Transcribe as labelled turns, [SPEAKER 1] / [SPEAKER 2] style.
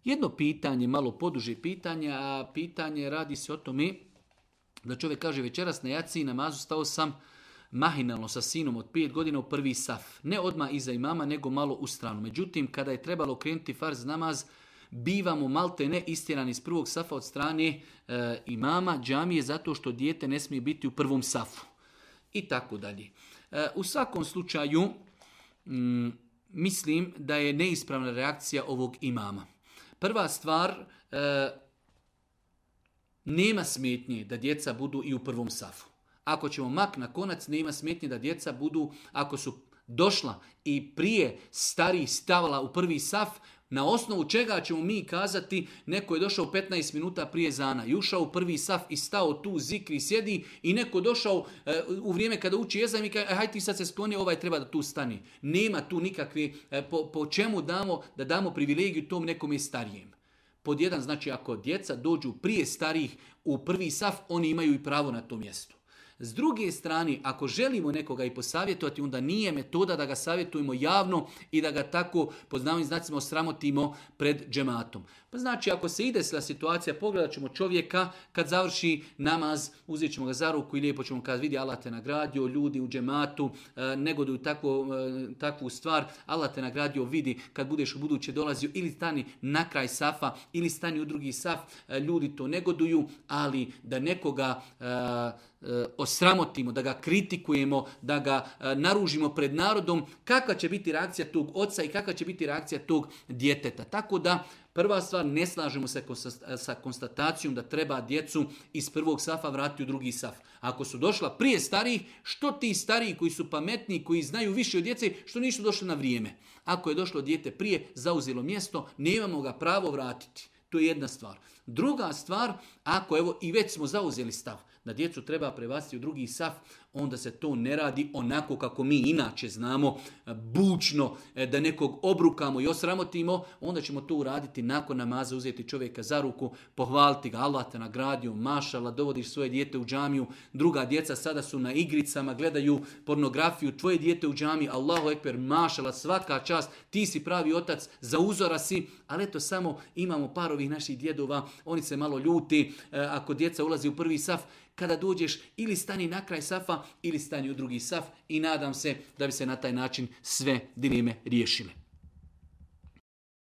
[SPEAKER 1] Jedno pitanje, malo poduže pitanje, a pitanje radi se o tome da čovjek kaže večeras na jaciji namazu stao sam mahinalno sa sinom od 5 godina u prvi saf. Ne odmah iza imama, nego malo u stranu. Međutim, kada je trebalo krenuti farz namaz, bivamo malte ne istjerani iz prvog safa od strane imama džamije zato što dijete ne smije biti u prvom safu. I tako dalje. U svakom slučaju, mislim da je neispravna reakcija ovog imama. Prva stvar, nema smetnje da djeca budu i u prvom safu. Ako ćemo mak na konac, nema smetnje da djeca budu, ako su došla i prije starih stavala u prvi saf, na osnovu čega ćemo mi kazati neko je došao 15 minuta prije zana i ušao u prvi saf i stao tu zikri sjedi i neko došao u vrijeme kada uči ezan i kaže hajde ti sad se skloni, ovaj treba da tu stani. Nema tu nikakve, po čemu da damo privilegiju tom nekom je starijem. Pod jedan, znači ako djeca dođu prije starih u prvi saf, oni imaju i pravo na to mjesto. S druge strane, ako želimo nekoga i posavjetovati, onda nije metoda da ga savjetujemo javno i da ga tako, pod navodnim znacima, osramotimo pred džematom. Pa znači, ako se ide sla situacija, pogledat ćemo čovjeka, kad završi namaz, uzet ćemo ga za ruku i lijepo ćemo kazati, vidi, Allah te nagradio, ljudi u džematu, negoduju takvu stvar, Allah te nagradio, vidi, kad budeš u buduće dolazio, ili stani na kraj safa, ili stani u drugi saf, ljudi to negoduju, ali da nekoga osramotimo, da ga kritikujemo, da ga naružimo pred narodom, kakva će biti reakcija tog oca i kakva će biti reakcija tog djeteta. Tako da, prva stvar, ne slažemo se sa konstatacijom da treba djecu iz prvog safa vratiti u drugi saf. Ako su došla prije starijih, što ti stariji koji su pametniji, koji znaju više od djece, što nisu došli na vrijeme. Ako je došlo dijete prije, zauzelo mjesto, nemamo ga pravo vratiti. To je jedna stvar. Druga stvar, ako evo i već smo zauzeli stav da djecu treba prebaciti u drugi saf, onda se to ne radi onako kako mi inače znamo, bučno, da nekog obrukamo i osramotimo, onda ćemo to uraditi nakon namaza, uzeti čovjeka za ruku, pohvaliti ga, Allah te nagradio, mašala, dovodiš svoje dijete u džamiju, druga djeca sada su na igricama, gledaju pornografiju, tvoje dijete u džamiji, Allahu ekber, mašala, svaka čast, ti si pravi otac, za uzora si, ali eto samo imamo par ovih naših djedova, oni se malo ljuti, ako djeca ulazi u prvi saf, kada dođeš ili stani na kraj safa ili stani u drugi saf i nadam se da bi se na taj način sve dileme riješile.